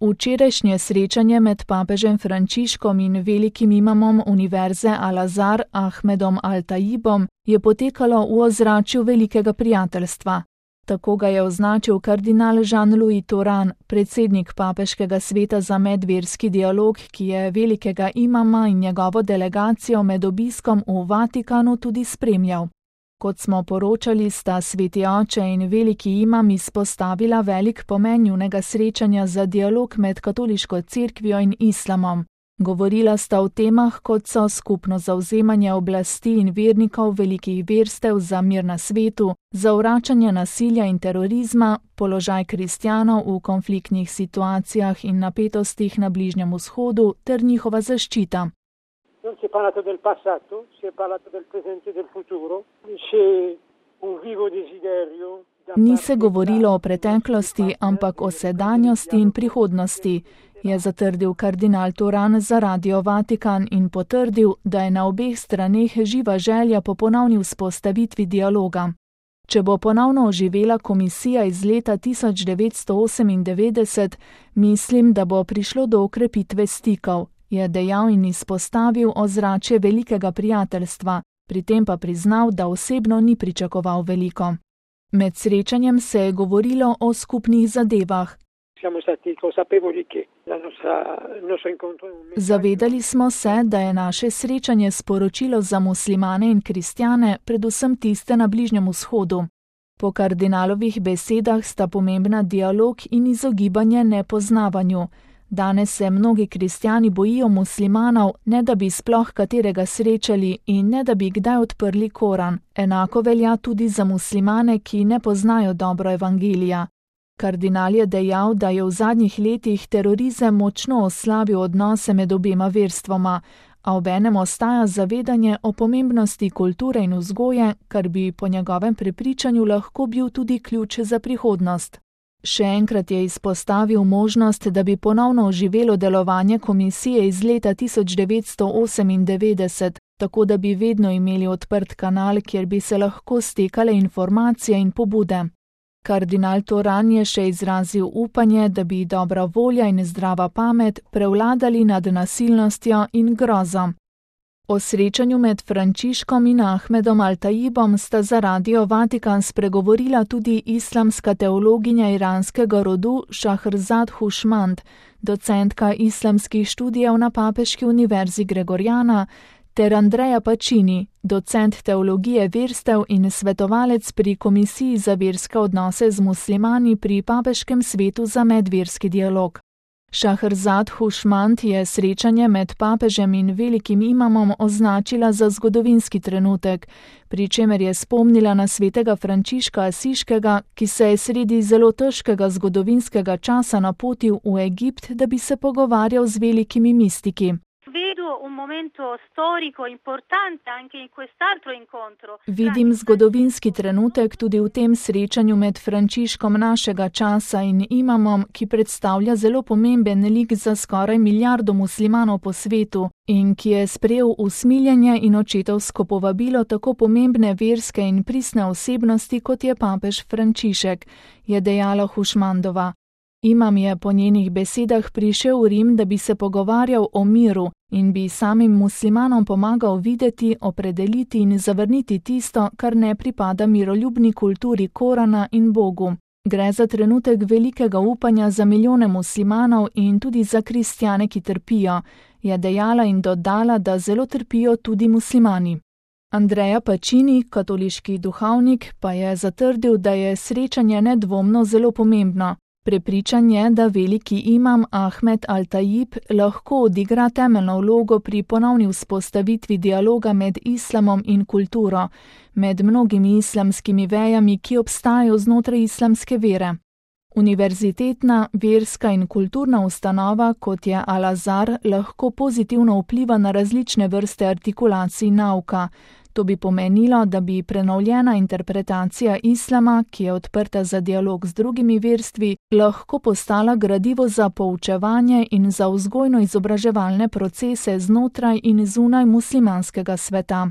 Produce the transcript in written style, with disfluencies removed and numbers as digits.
Včerajšnje srečanje med papežem Frančiškom in velikim imamom univerze Al-Azhar Ahmedom Al-Tajibom je potekalo v ozračju velikega prijateljstva. Tako ga je označil kardinal Jean-Louis Touran, predsednik papeškega sveta za medverski dialog, ki je velikega imama in njegovo delegacijo med obiskom v Vatikanu tudi spremljal. Kot smo poročali, sta sveti oče in veliki imam izpostavila velik pomen njunega srečanja za dialog med katoliško cerkvijo in islamom. Govorila sta o temah, kot so skupno zavzemanje oblasti in vernikov velikih verstev za mir na svetu, zavračanje nasilja in terorizma, položaj kristjanov v konfliktnih situacijah in napetostih na Bližnjem vzhodu ter njihova zaščita. Non si è parlato del passato, si è parlato del presente e del futuro. C'è un vivo desiderio. Ni se govorilo o preteklosti, ampak o sedanjosti in prihodnosti, je zatrdil kardinal Touran za Radio Vatikan in potrdil, da je na obeh straneh živa želja po ponovni vzpostavitvi dialoga. Če bo ponovno oživela komisija iz leta 1998, mislim, da bo prišlo do okrepitve stikov, je dejal in izpostavil ozračje velikega prijateljstva, pri tem pa priznal, da osebno ni pričakoval veliko. Med srečanjem se je govorilo o skupnih zadevah. Zavedali smo se, da je naše srečanje sporočilo za muslimane in kristjane, predvsem tiste na Bližnjem vzhodu. Po kardinalovih besedah sta pomembna dialog in izogibanje nepoznavanju. Danes se mnogi kristjani bojijo muslimanov, ne da bi sploh katerega srečali in ne da bi kdaj odprli Koran. Enako velja tudi za muslimane, ki ne poznajo dobro evangelija. Kardinal je dejal, da je v zadnjih letih terorizem močno oslabil odnose med obema verstvoma, a obenem ostaja zavedanje o pomembnosti kulture in vzgoje, kar bi po njegovem prepričanju lahko bil tudi ključ za prihodnost. Še enkrat je izpostavil možnost, da bi ponovno oživelo delovanje komisije iz leta 1998, tako da bi vedno imeli odprt kanal, kjer bi se lahko stekale informacije in pobude. Kardinal Touran je še izrazil upanje, da bi dobra volja in zdrava pamet prevladali nad nasilnostjo in grozo. O srečanju med Frančiškom in Ahmedom Al-Tajibom sta za Radio Vatikan spregovorila tudi islamska teologinja iranskega rodu Šahrzad Hušmand, docentka islamskih študijev na Papeški univerzi Gregoriana, ter Andrea Pacini, docent teologije verstev in svetovalec pri Komisiji za verske odnose z muslimani pri Papeškem svetu za medverski dialog. Šahrzad Hušmand je srečanje med papežem in velikim imamom označila za zgodovinski trenutek, pri čemer je spomnila na svetega Frančiška Asiškega, ki se je sredi zelo težkega zgodovinskega časa napotil v Egipt, da bi se pogovarjal z velikimi mistiki. Vidim zgodovinski trenutek tudi v tem srečanju med Frančiškom našega časa in imamom, ki predstavlja zelo pomemben lik za skoraj milijardo muslimanov po svetu in ki je sprejel usmiljenje in očetovsko povabilo tako pomembne verske in pristne osebnosti, kot je papež Frančišek, je dejala Hušmandova. Imam je po njenih besedah prišel v Rim, da bi se pogovarjal o miru in bi samim muslimanom pomagal videti, opredeliti in zavrniti tisto, kar ne pripada miroljubni kulturi Korana in Bogu. Gre za trenutek velikega upanja za milijone muslimanov in tudi za kristjane, ki trpijo, je dejala in dodala, da zelo trpijo tudi muslimani. Andrea Pacini, katoliški duhovnik, pa je zatrdil, da je srečanje nedvomno zelo pomembno. Prepričan je, da veliki imam Ahmed Al-Tajib lahko odigra temeljno vlogo pri ponovni vzpostavitvi dialoga med islamom in kulturo, med mnogimi islamskimi vejami, ki obstajajo znotraj islamske vere. Univerzitetna, verska in kulturna ustanova, kot je Al-Azhar, lahko pozitivno vpliva na različne vrste artikulacij nauka. To bi pomenilo, da bi prenovljena interpretacija islama, ki je odprta za dialog z drugimi verstvi, lahko postala gradivo za poučevanje in za vzgojno-izobraževalne procese znotraj in zunaj muslimanskega sveta.